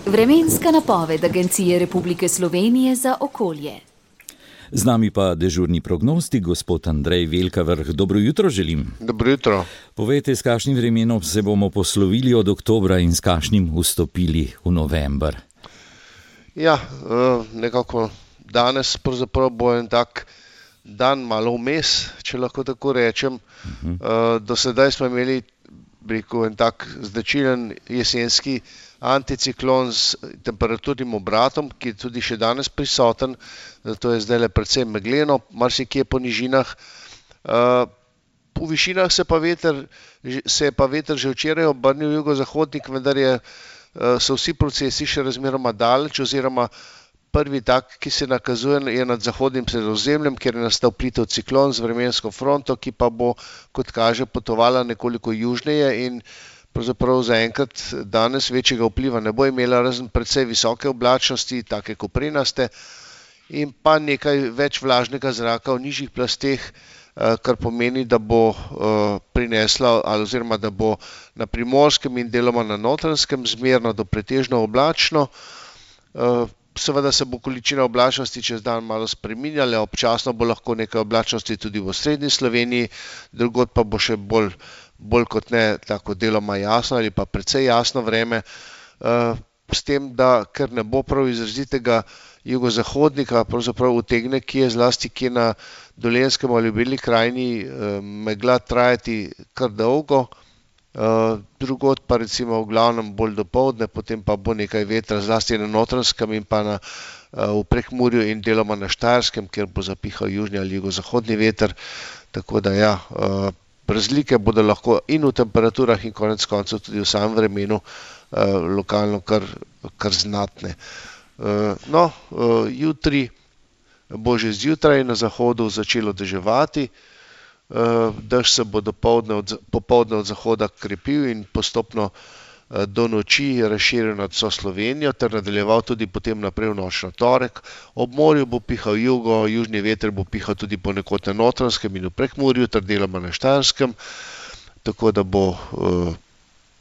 Vremenska napoved Agencije Republike Slovenije za okolje. Z nami pa dežurni prognostik, gospod Andrej Velkavrh. Dobro jutro želim. Dobro jutro. Povejte, s kakšnim vremenom se bomo poslovili od oktobra in s kakšnim vstopili v november? Ja, nekako danes pravzaprav bo en tak dan malo vmes, če lahko tako rečem. Do sedaj smo imeli en tak značilen jesenski anticiklon s temperaturnim obratom, ki je tudi še danes prisoten, zato je zdaj predvsem megleno, marsikje po nižinah. Po višinah se je pa veter že včeraj obrnil jugozahodnik, vendar so vsi procesi še razmeroma daleč, oziroma prvi tak, ki se nakazuje, je nad zahodnim Sredozemljem, kjer je nastal plitev ciklon z vremensko fronto, ki pa bo, kot kaže, potovala nekoliko južneje in pravzaprav zaenkrat danes večjega vpliva ne bo imela, razen precej visoke oblačnosti, take koprenaste, in pa nekaj več vlažnega zraka v nižjih plasteh, kar pomeni, da bo prinesla, oziroma da bo na Primorskem in deloma na Notranjskem zmerno do pretežno oblačno. Seveda se bo količina oblačnosti čez dan malo spreminjala, občasno bo lahko nekaj oblačnosti tudi v osrednji Sloveniji, drugod pa bo še bolj kot ne tako deloma jasno ali pa precej jasno vreme, s tem, da ker ne bo prav izrazitega jugozahodnika, pravzaprav utegne zlasti na Dolenjskem ali v Beli krajini megla trajati kar dolgo, drugod pa recimo v glavnem bolj dopoldne, potem pa bo nekaj vetra zlasti na Notranjskem in pa v Prekmurju in deloma na Štajerskem, kjer bo zapihal južni ali jugozahodni veter, tako da ja, razlike bodo lahko in v temperaturah in konec koncev tudi v samem vremenu lokalno kar znatne. Jutri bo že zjutraj na zahodu začelo deževati, dež se bo popoldne od zahoda krepil in postopno do noči razširil nad vso Slovenijo ter nadaljeval tudi potem naprej v noč na torek. Ob morju bo pihal južni veter bo pihal tudi ponekod na Notranjskem in v Prekmurju ter deloma na Štajerskem, tako da bo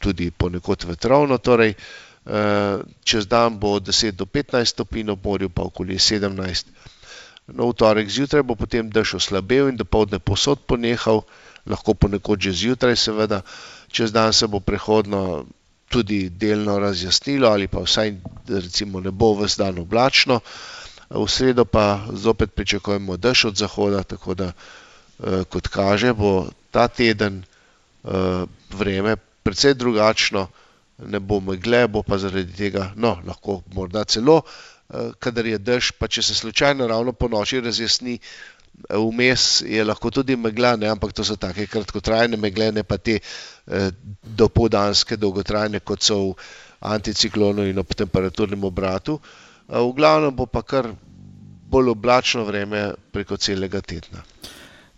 tudi ponekod vetrovno, torej čez dan bo od 10 do 15 stopinj, ob morju pa okoli 17. V torek zjutraj bo potem dež oslabel in dopoldne povsod ponehal, lahko ponekod že zjutraj seveda, čez dan se bo prehodno tudi delno razjasnilo ali pa vsaj recimo ne bo ves dan oblačno. V sredo pa zopet pričakujemo dež od zahoda, tako da kot kaže bo ta teden vreme precej drugačno, ne bo megle, bo pa zaradi tega, lahko morda celo, kadar je dež, pa če se slučajno ravno po noči razjasni, vmes je lahko tudi megla, ampak to so take kratkotrajne megle, ne pa te dopoldanske, dolgotrajne, kot so v anticiklonu in ob temperaturnem obratu. V glavnem bo pa kar bolj oblačno vreme preko celega tedna.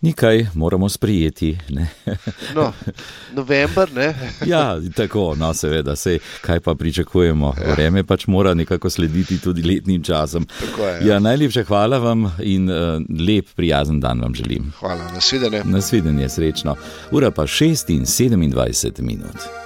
Nikaj moramo sprijeti, ne? November, ne? Ja, tako, seveda, kaj pa pričakujemo. Ja. Vreme pač mora nekako slediti tudi letnim časom. Tako je, ja. Najlepša hvala vam in lep, prijazen dan vam želim. Hvala, nasvidenje. Nasvidenje, srečno. Ura pa 6:27.